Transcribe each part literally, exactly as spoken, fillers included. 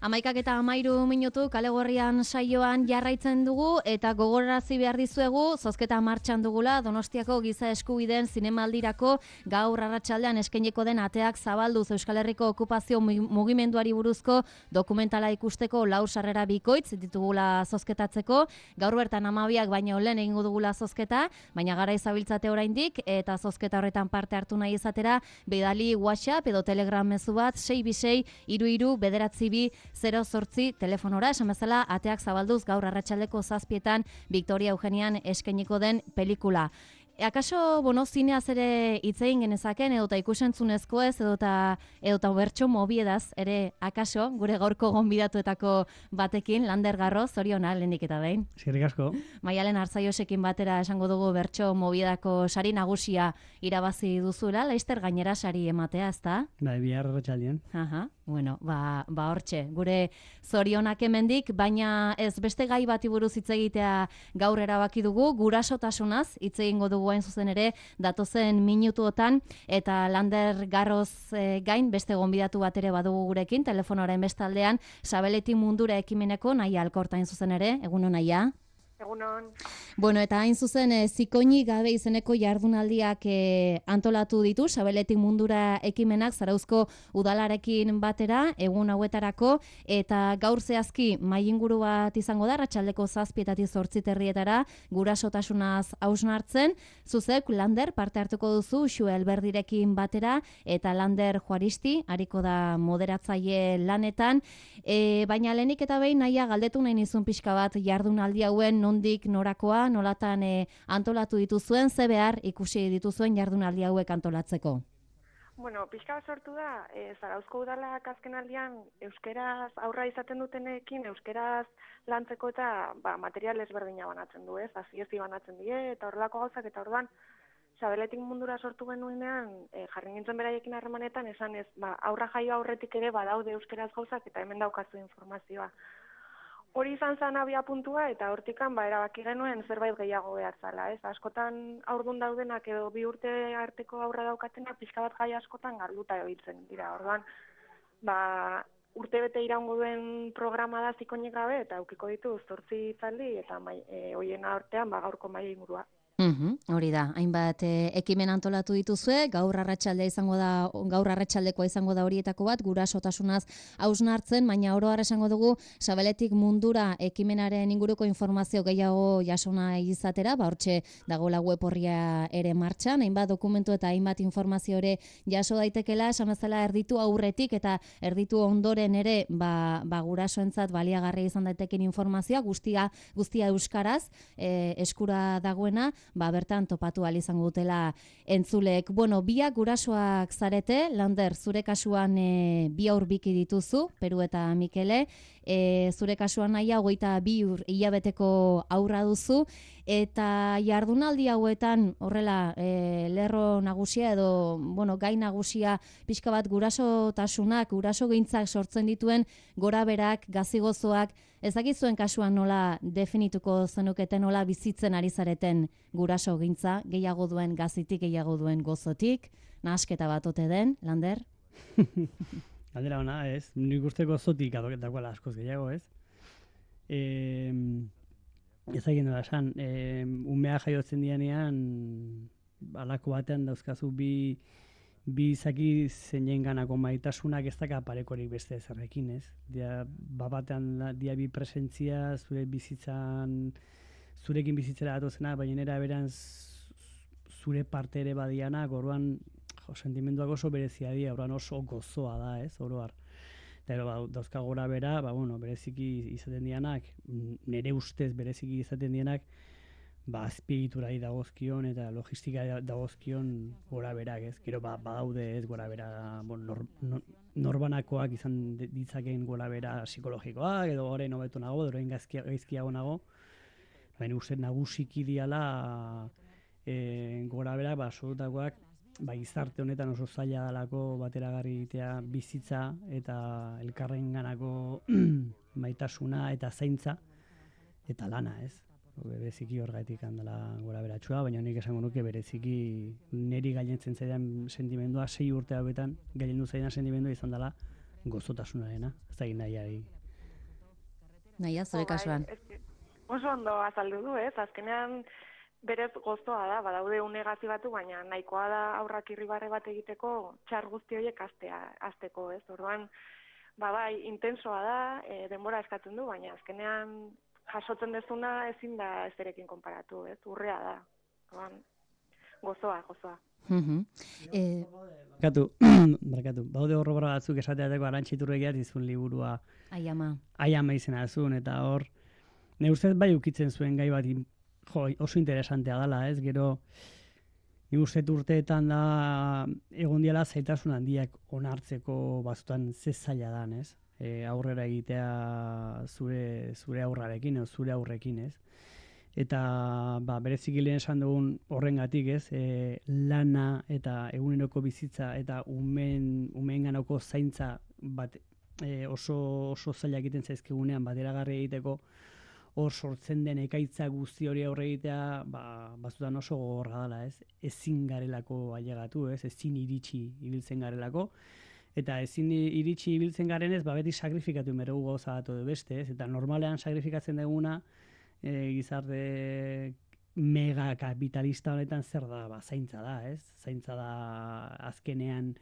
Amaikak eta amairu minutu kale gorrian saioan jarraitzen dugu eta gogorarazi behar dizuegu zozketa martxan dugula Donostiako giza eskubideen zinemaldirako gaur arratsaldean eskainiko den ateak zabalduz Euskal Herriko okupazio mugimenduari buruzko dokumentala ikusteko lau sarrera bikoitz ditugula zozketatzeko. Gaur bertan hamabiak baino lehen egingo dugula zozketa, baina gara izabiltzate oraindik eta zozketa horretan parte hartu nahi izatera bidali WhatsApp edo Telegram mezu bat sei bi sei hiru hiru bederatzi bi zero zortzi telefonora, esan bezala ateak zabalduz gaur arratsaldeko zazpietan Victoria Eugenian eskainiko den pelikula. Akaso, bueno, zineaz ere hitz egin genezaken, edota ikusentzunezko ez, edota, edota bertso mobiedaz, ere akaso, gure gaurko gonbidatuetako batekin, Lander Garro, zoriona, lehenik eta behin. Eskerrik asko. Maialen Arzaiosekin batera esango dugu bertso mobiedako sari nagusia irabazi duzula, laizter gainera sari ematea, ezta? Bai, bihar arratsaldien. Aha, bueno, ba, ba hortxe, gure zorionak hemendik, baina ez beste gai bati buruz hitz egitea gaur erabaki dugu, gurasotasunaz hitz egingo dugu hain zuzen ere datozen minutuotan, eta Lander Garroz e, gain beste gonbidatu bat ere badugu gurekin, telefonoaren bestaldean, Sabeletik Mundura ekimeneko Naia Alkorta hain zuzen ere, egunon Naia? Egunon. Bueno, eta hain zuzen, e, zikoini gabe izeneko jardunaldiak e, antolatu ditu, Sabeletik Mundura ekimenak Zarauzko udalarekin batera, egun hauetarako, eta gaur zehazki mai inguru bat izango da, arratsaldeko zazpietatik zortzi terrietara, gurasotasunaz hausnartzen, zuzek Lander parte hartuko duzu, Xue Elberdirekin batera, eta Lander Juaristi, hariko da moderatzaile lanetan, e, baina lehenik eta behin Naia galdetu nahi nizun pixka bat jardunaldi hauen nondik norakoa, nolatan e, antolatu dituzuen, ze behar ikusi dituzuen jardunaldi hauek antolatzeko? Bueno, pixka bat sortu da, e, Zarauzko udalak azken aldian euskeraz aurra izaten dutenekin, euskeraz lantzeko eta ba, material ezberdina banatzen du, ez? Aziezi banatzen die, eta horrelako gauzak, eta orduan, Sabeletik Mundura sortu genuenean, e, jarri nintzen beraiekin harremanetan, esan ez, ba, aurra jaio aurretik ere badaude euskeraz gauzak, eta hemen daukazu informazioa. Hori izan zen abia puntua eta hortikan ba, erabaki genuen zerbait gehiago behar zala. Ez? Askotan aurdun daudenak edo bi urte arteko aurra daukatenak pixka bat gai askotan galduta ebiltzen dira. Orduan, ba, urte bete iraungo duen programa da zikoinik gabe eta aukiko ditu zortzi hitzaldi eta mai, e, hoien artean ba, gaurko maila ingurua. Uhum, hori da, hainbat e, ekimen antolatu dituzue, gaur arratsaldea izango da, gaur arratsaldekoa izango da horietako bat, gurasotasunaz hausnartzen, baina oro har esango dugu Sabeletik Mundura ekimenaren inguruko informazio gehiago jasona izatera, ba hortxe dagoela web orria ere martxan, hainbat dokumentu eta hainbat informazio ere jaso daitekela, esan bezala erditu aurretik eta erditu ondoren ere, ba, ba gurasoentzat baliagarria izan daiteken informazioa, guztia guztia euskaraz, e, eskura dagoena, ba, bertan topatu ahal izango dutela entzuleek. Bueno, biak gurasoak zarete, Lander, zure kasuan e, bi aur biki dituzu, Peru eta Mikele, e, zure kasuan Naia hogeita bi ur hilabeteko aurra duzu, eta jardunaldi hauetan horrela e, lerro nagusia edo bueno, gai nagusia pixka bat gurasotasunak, gurasogintzak sortzen dituen goraberak, gazigozoak, ez dakizuen kasuan nola definituko zenuketen, nola bizitzen ari zareten gurasogintza, gehiago duen gazitik, gehiago duen gozotik, nahasketa bat ote den, Lander? Galdera ona, ez? Nik uste gozotik dagoela askoz gehiago, ez? E, ez egin da esan, e, umea jaiotzen dianean, alako batean dauzkazu bi bi izaki zeinen ganako maitasunak ez daka parekorik beste ezerrekin, ez? Dia, batean dia bi presentzia, zure bizitzan, zurekin bizitzera datozena, baina era beran zure parte ere badianak, orduan jo, sentimenduak oso berezia dira, orduan oso gozoa da, ez? Oroar. Eta ba, dauzka gora bera, ba, bueno, bereziki izaten dianak, nire ustez bereziki izaten dianak, ba, azpiegiturai dagozkion eta logistika dagozkion gora berak, ez? Gero ba, badaude ez gora bera, bon, nor, nor, norbanakoak izan ditzakeen gora bera psikologikoak, edo orain hobeto nago, edo orain gaizkiago nago, baina uste nagusiki diala e, gora berak, ba, absolutakoak, ba, gizarte honetan oso zaila dalako bateragarri egitea bizitza eta elkarren ganako maitasuna eta zaintza eta lana, ez? Bereziki horregatik handela gora beratxua, baina nik esango nuke bereziki niri gailentzen zaidan sentimendua sei urte hauetan, gailendu zaidan sentimendua izan dela gozotasunarena, ez da nahiari. Naia, zure kasuan. Oso ondo azaldu du, ez? Azkenean berez gozoa da, badaude unegazi batu, baina nahikoa da aurrak irribarre bat egiteko txar guzti horiek astea, asteko, ez? Orduan, ba bai, intensoa da, e, denbora eskatzen du, baina azkenean jasotzen dezuna ezin da ezerekin konparatu, ez? Urrea da. Orduan, gozoa, gozoa. Mhm. Eh, Barkatu, barkatu. Baude horrobra batzuk esateateko Arantxiturregiat izun liburua Aiama. Aiama izena zuen, eta hor, ne ustez bai ukitzen zuen gai bat jo, oso interesantea dela, ez? Gero, ni uste urteetan da egon diala zaitasun handiak onartzeko batzutan ze zaila dan, ez? E, aurrera egitea zure, zure aurrarekin, edo zure aurrekin, ez? Eta ba, bereziki lehen esan dugun horrengatik, ez? E, lana eta eguneroko bizitza eta umeen, umeenganako zaintza bat e, oso, oso zaila egiten zaizkigunean bateragarri egiteko, hor sortzen den ekaitza guzti hori aurre egitea, ba, batzutan oso gogorra dela, ez? Ezin garelako ailegatu, ez? Ezin iritsi ibiltzen garelako. Eta ezin iritsi ibiltzen garenez, ba, beti sakrifikatu inberegu gauza bat edo beste, ez? Eta normalean sakrifikatzen duguna, e, gizarte mega kapitalista honetan zer da? Ba, zaintza da, ez? Zaintza da azkenean,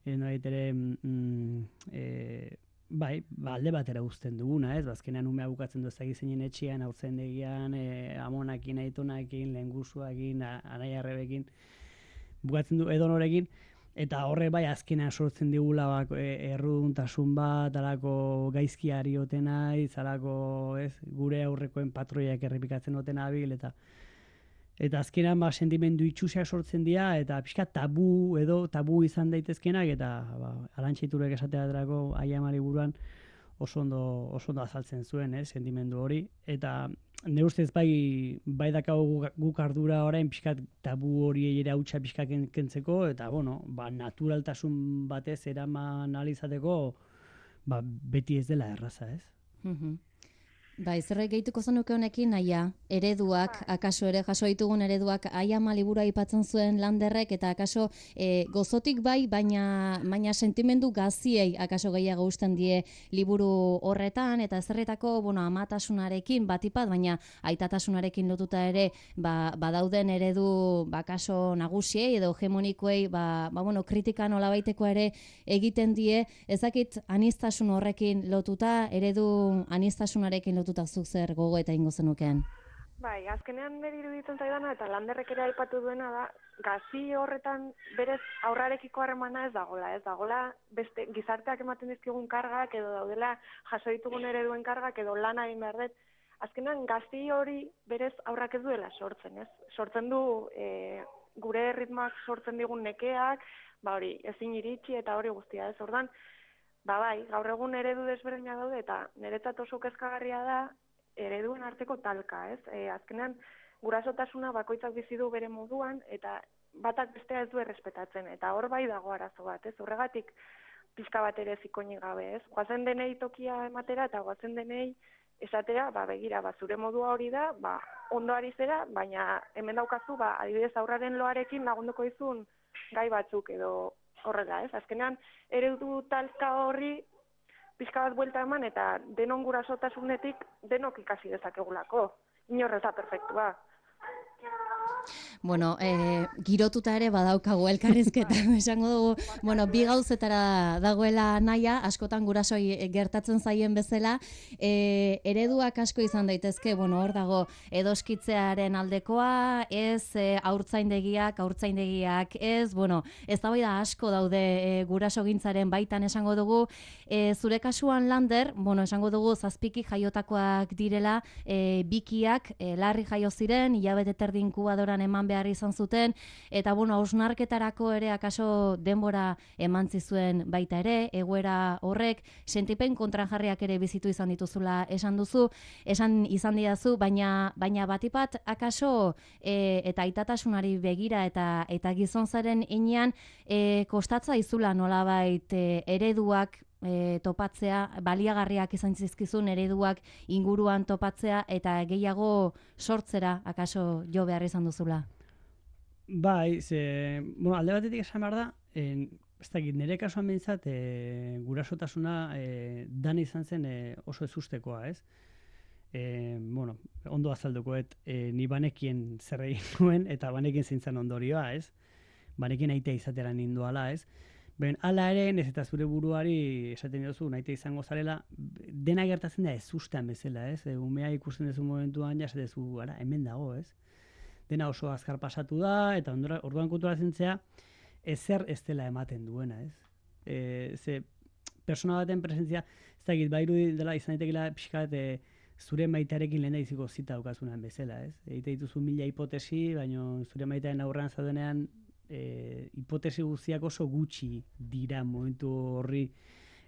e, norait ere, mm, e, bai, ba, alde batera uzten duguna, ez? Azkenean umea bukatzen du ezagik zeinen etxean, haurtzaindegian, e, amonakin, aitonakin, lehengusuakin, anai arrebekin, bukatzen du edonorekin, eta horre bai azkenean sortzen digula bak, e, erruduntasun bat, alako gaizkiari otena, izalako, ez, gure aurrekoen patroiak errepikatzen otena abil, eta Eta azkenan ba, sentimendu itxusiak sortzen dira, eta pixka tabu edo tabu izan daitezkenak, eta ba, Arantxiturek esateaterako Aiama liburuan oso ondo, oso ondo azaltzen zuen, eh, sentimendu hori. Eta ne ustez bai, bai dakagu guk ardura orain pixkat tabu hori ere hautsa pixka kentzeko, eta bueno, ba, naturaltasun batez eraman ahal izateko, ba, beti ez dela erraza, ez? Mhm. Bai, zerbait gehituko zenuke honekin, naia, ereduak, akaso ere jaso ditugun ereduak, Aiama liburua aipatzen zuen Landerrek, eta akaso e, gozotik bai, baina, baina sentimendu gaziei akaso gehiago usten die liburu horretan, eta zerretako, bueno, amatasunarekin batipat, baina aitatasunarekin lotuta ere, ba, badauden eredu, bakaso nagusiei edo hegemonikoei, ba, ba, bueno, kritika nolabaiteko ere egiten die, ezakit aniztasun horrekin lotuta, eredu aniztasunarekin lotuta zuk zer gogo eta ingo zenukeen? Bai, azkenean niri iruditzen zaidana eta Landerrek ere aipatu duena da, gazi horretan berez aurrarekiko harremana ez dagola, ez dagola beste gizarteak ematen dizkigun kargak edo daudela jaso ditugun ereduen kargak edo lana egin behar dut. Azkenean gazi hori berez aurrak ez duela sortzen, ez? Sortzen du e, gure ritmoak sortzen digun nekeak, ba hori, ezin iritsi eta hori guztia, ez? Ordan Ba bai, gaur egun eredu desberdina daude eta niretzat oso kezkagarria da ereduen arteko talka, ez? E, azkenean gurasotasuna bakoitzak bizi du bere moduan eta batak bestea ez du errespetatzen eta hor bai dago arazo bat, ez? Horregatik pizka bat ere zikoinik gabe, ez? Goazen denei tokia ematera eta goazen denei esatera, ba begira, ba zure modua hori da, ba ondo ari zera, baina hemen daukazu, ba adibidez aurraren loarekin lagunduko dizun gai batzuk edo horrela, ez? Azkenean, eredu talka horri pixka bat buelta eman eta denon gurasotasunetik denok ikasi dezakegulako. Inorrez da perfektua. Bueno, eh, girotuta ere badaukagu elkarrizketa, esango dugu, bueno, bi gauzetara dagoela naia, askotan gurasoi gertatzen zaien bezala, e, ereduak asko izan daitezke, bueno, hor dago edoskitzearen aldekoa, ez e, haurtzaindegiak, haurtzaindegiak, ez, bueno, ez da bai da asko daude e, gurasogintzaren baitan esango dugu, e, zure kasuan Lander, bueno, esango dugu zazpiki jaiotakoak direla, e, bikiak, e, larri jaio ziren, hilabete terdi inkubadoran eman behar izan zuten, eta bueno, hausnarketarako ere akaso denbora eman zizuen baita ere, egoera horrek, sentipen kontrajarriak ere bizitu izan dituzula esan duzu, esan izan didazu, baina baina batipat akaso e, eta aitatasunari begira eta eta gizonzaren inean e, kostatza izula nolabait e, ereduak E, topatzea, baliagarriak izan zizkizun ereduak inguruan topatzea eta gehiago sortzera akaso jo behar izan duzula? Bai, ze, bueno, alde batetik esan behar da, en, ez dakit, nire kasuan behintzat, e, gurasotasuna e, dan izan zen e, oso ezustekoa, ez? E, bueno, ondo azaldukoet, e, ni banekien zer egin nuen, eta banekien zintzen ondorioa, ez? Banekien aitea izatera ninduala, ez? Ben, ala ere, ez eta zure buruari esaten duzu, naite izango zarela, dena gertatzen da ezustean bezala, ez? E, umea ikusten duzu momentuan, jasetezu, ara, hemen dago, ez? Dena oso azkar pasatu da, eta ondora, orduan kultura zentzea, ezer ez dela ematen duena, ez? E, ze, persona baten presentzia, ez dakit, bairu dela izan daitekela pixkat, e, zure maitearekin lehen daiziko zita daukazunan bezala, ez? Eite dituzu mila hipotesi, baina zure maitearen aurrean zaudenean, e, hipotesi guztiak oso gutxi dira momentu horri,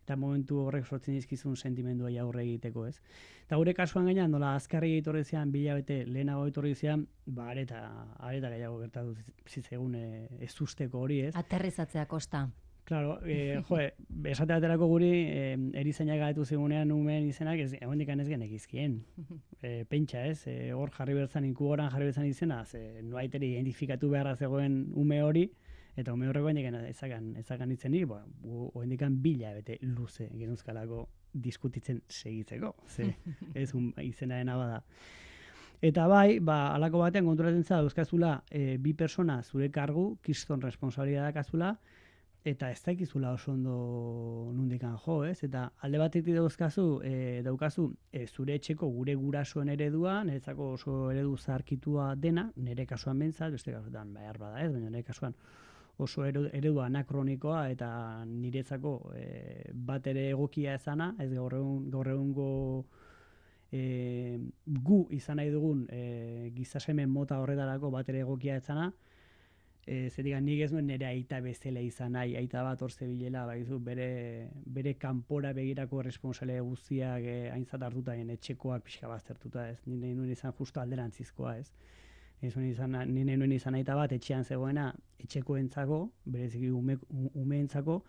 eta momentu horrek sortzen dizkizun sentimenduai aurre egiteko, ez? Eta gure kasuan gainean, nola azkarri etorri zean, bila bete lehenago etorri zean, ba, areta, areta gehiago gertatu zitzegun e, ez usteko hori, ez? Aterrizatzea kosta. Claro, eh, jo, esate baterako guri, eh, erizainak galetu zigunean umeen izenak, ez, egondik ez genekizkien. E, pentsa, ez? E, hor jarri berzan, inkuboran jarri berzan izena, ze nuaiteri identifikatu beharra zegoen ume hori, eta ume horreko hendik ezakan, ezakan itzen nik, hendik bila bete luze genuzkalako diskutitzen segitzeko, ze ez un, izenaren abada. Eta bai, ba, alako batean konturatzen za dauzkazula e, bi persona zure kargu, kiston responsabilidad dakazula, eta ez dakizula oso ondo nundikan jo, ez? Eta alde batetik dauzkazu, e, daukazu e, zure etxeko gure gurasoen eredua, niretzako oso eredu zaharkitua dena, nire kasuan bentzat, beste kasuan behar bada ez, baina nire kasuan oso eredu anakronikoa eta niretzako e, bat ere egokia ezana, ez gaur egun, gaur egungo e, gu izan nahi dugun e, gizasemen mota horretarako bat ere egokia ezana, e, zer digan, nik ez nuen nire aita bezala izan nahi, aita bat hor zebilela, baizu, bere, bere kanpora begirako responsable guztiak e, aintzat hartuta, etxekoak pixka baztertuta, ez, nire nuen izan justo alderantzizkoa, ez. Nire nuen izan aita bat etxean zegoena etxekoentzako, bereziki ume, umeentzako,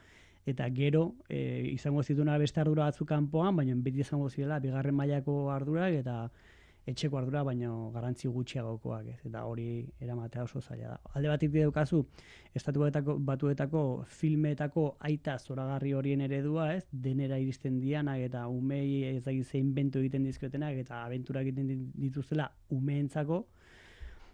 eta gero e, izango zituna beste ardura batzuk kanpoan, baina beti izango zirela bigarren mailako ardurak eta etxeko ardura, baina garrantzi gutxiagokoak, ez, eta hori eramatea oso zaila da. Alde batik daukazu, estatu batuetako filmetako aita zoragarri horien eredua, ez, denera iristen dianak eta umei ez da zein inventu egiten dizkiotenak eta abentura egiten dituztela umeentzako,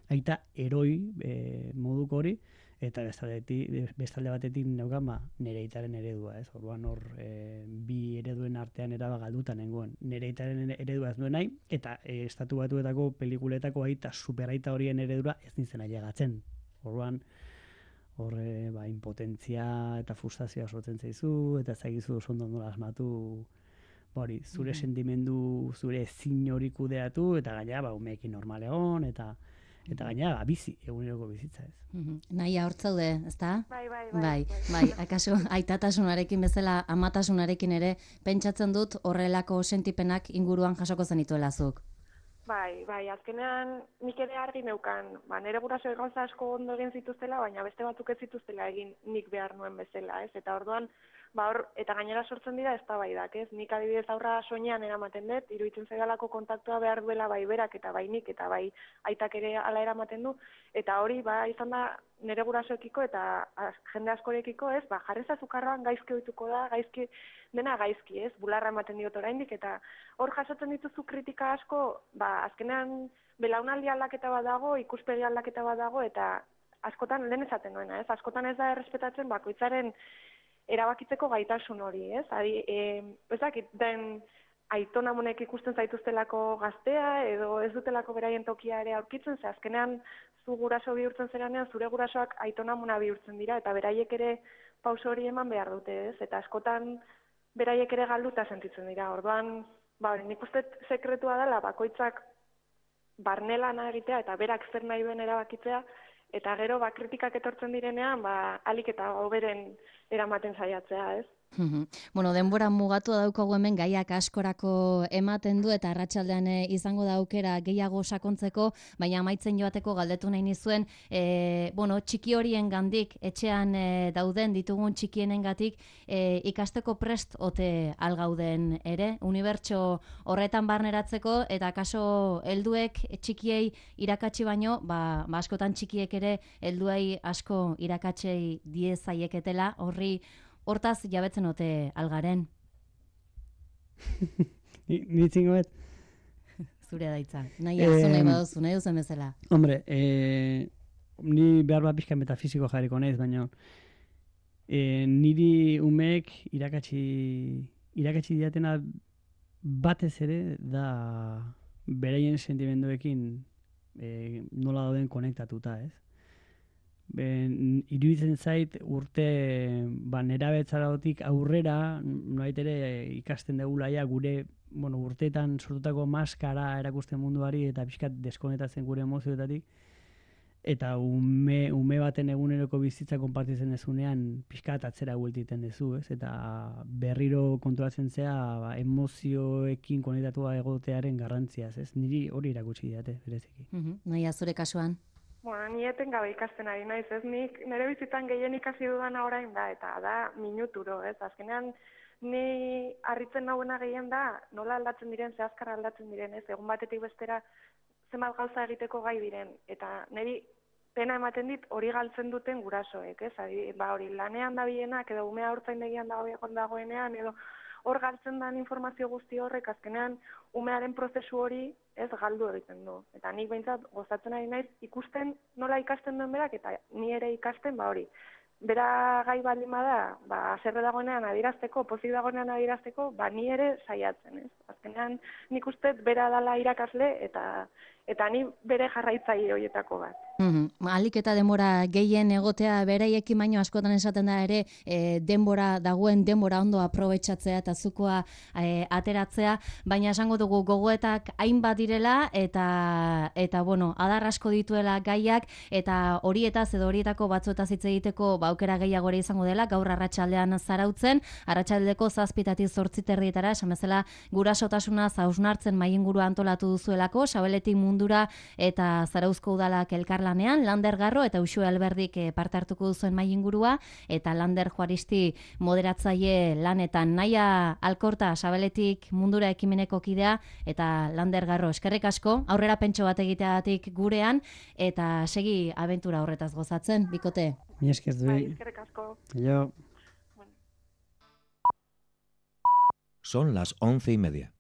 aita eroi e, moduko hori, eta bestalde batetik neukan ba, nire aitaren eredua, ez? Orduan hor e, bi ereduen artean eraba galduta nengoen. Nire aitaren eredua ez duen nahi, eta e, estatu batuetako pelikuletako aita, superaita horien eredura ez nintzen ailegatzen. Orduan hor e, ba, impotentzia eta frustrazioa sortzen zaizu, eta ezagizu oso ondo nola asmatu hori, zure mm-hmm. sentimendu, zure ezin hori kudeatu, eta gaina ba, umeekin normal egon, eta Eta gaina, bizi, eguneroko bizitza ez. Mm-hmm. Nahi ahortzaude, ezta? Bai, bai, bai. Bai, bai, akaso aitatasunarekin bezala amatasunarekin ere pentsatzen dut horrelako sentipenak inguruan jasoko zenituela zuk. Bai, bai, azkenean nik ere argi neukan, ba, nire guraso gauza asko ondo egin zituztela, baina beste batzuk ez zituztela egin nik behar nuen bezala, ez? Eta orduan, ba hor, eta gainera sortzen dira eztabaidak, ez? Nik adibidez aurra soinean eramaten dut, iruditzen zaidalako kontaktua behar duela bai berak eta bai nik eta bai aitak ere hala eramaten du, eta hori ba izan da nire gurasoekiko eta az, jende askorekiko, ez? Ba jarri ezazu karroan gaizki ohituko da, gaizki dena gaizki, ez? Bularra ematen diot oraindik eta hor jasotzen dituzu kritika asko, ba azkenean belaunaldi aldaketa bat dago, ikuspegi aldaketa bat dago eta askotan lehen esaten duena, ez? Askotan ez da errespetatzen bakoitzaren erabakitzeko gaitasun hori, ez? Ari, e, ez dakit, den aitonamonek ikusten zaituztelako gaztea, edo ez dutelako beraien tokia ere aurkitzen, ze azkenean zu guraso bihurtzen zeranean, zure gurasoak aitonamona bihurtzen dira, eta beraiek ere pauso hori eman behar dute, ez? Eta askotan beraiek ere galduta sentitzen dira. Orduan, ba, hori, nik uste sekretua dela, bakoitzak barnelana egitea, eta berak zer nahi duen erabakitzea, eta gero ba kritikak etortzen direnean ba alik eta hoberen eramaten saiatzea, ez? Bueno, denbora mugatu daukagu hemen gaiak askorako ematen du eta arratsaldean izango da aukera gehiago sakontzeko, baina amaitzen joateko galdetu nahi nizuen, e, bueno, txiki horien gandik, etxean e, dauden ditugun txikienengatik e, ikasteko prest ote algauden ere, unibertso horretan barneratzeko eta kaso helduek txikiei irakatsi baino, ba, ba askotan txikiek ere helduei asko irakatsei diezaieketela, horri hortaz jabetzen ote algaren. Nitzingo bet? Zure daitza. Nahi azu nahi baduzu, nahi duzen bezala. Hombre, eh, ni behar bat pixka metafiziko jarriko naiz, baina eh, niri umeek irakatsi, irakatsi diatena batez ere da beraien sentimenduekin eh, nola dauden konektatuta, ez? Ben, iruditzen zait urte ba, nerabetzaratik aurrera noait ere ikasten degulaia gure bueno, urteetan sortutako maskara erakusten munduari eta pixkat deskonetatzen gure emozioetatik eta ume, ume baten eguneroko bizitza konpartitzen dezunean pixkat atzera bueltiten dezu, ez? Eta berriro kontuatzen zea ba, emozioekin konektatua egotearen garrantziaz, ez? Niri hori erakutsi diate, bereziki. Uh-huh. Nahi azure kasuan? Bueno, ni eten gabe ikasten ari naiz, ez nik nire bizitzan gehien ikasi dudana orain da, eta da minuturo, ez? Azkenean ni harritzen nauena gehien da nola aldatzen diren, ze azkar aldatzen diren, ez? Egun batetik bestera zenbat gauza egiteko gai diren, eta niri pena ematen dit hori galtzen duten gurasoek, ez? Adi, ba hori lanean dabilenak edo umea haurtzaindegian dagoen dagoenean edo hor galtzen den informazio guzti horrek azkenean umearen prozesu hori ez galdu egiten du. Eta nik behintzat gozatzen ari naiz ikusten nola ikasten duen berak eta ni ere ikasten ba hori. Bera gai baldin bada, ba haserre dagoenean adierazteko, pozik dagoenean adierazteko, ba ni ere saiatzen, ez? Azkenean nik uste bera dala irakasle eta eta ni bere jarraitzaile horietako bat. Mm-hmm. Alik eta denbora gehien egotea beraiekin baino askotan esaten da ere e, denbora dagoen denbora ondo aprobetxatzea eta zukoa e, ateratzea, baina esango dugu gogoetak hainbat direla eta eta bueno, adar asko dituela gaiak eta horietaz edo horietako batzuetaz hitz egiteko ba aukera gehiago ere izango dela gaur arratsaldean zarautzen, arratsaldeko zazpitatik zortzi terdietara, esan bezala gurasotasuna hausnartzen mahaingurua antolatu duzuelako, Sabeletik mundura eta Zarauzko udalak elkarlanean, Lander Garro eta Uxue Alberdik parte hartuko duzuen mahaingurua eta Lander Juaristi moderatzaile lanetan. Naia Alkorta Sabeletik mundura ekimeneko kidea eta Lander Garro eskerrik asko, aurrera pentso bat egiteagatik gurean eta segi abentura horretaz gozatzen, bikote. Mi esker du. Bai, eskerrik asko. Yo. Son las once y media.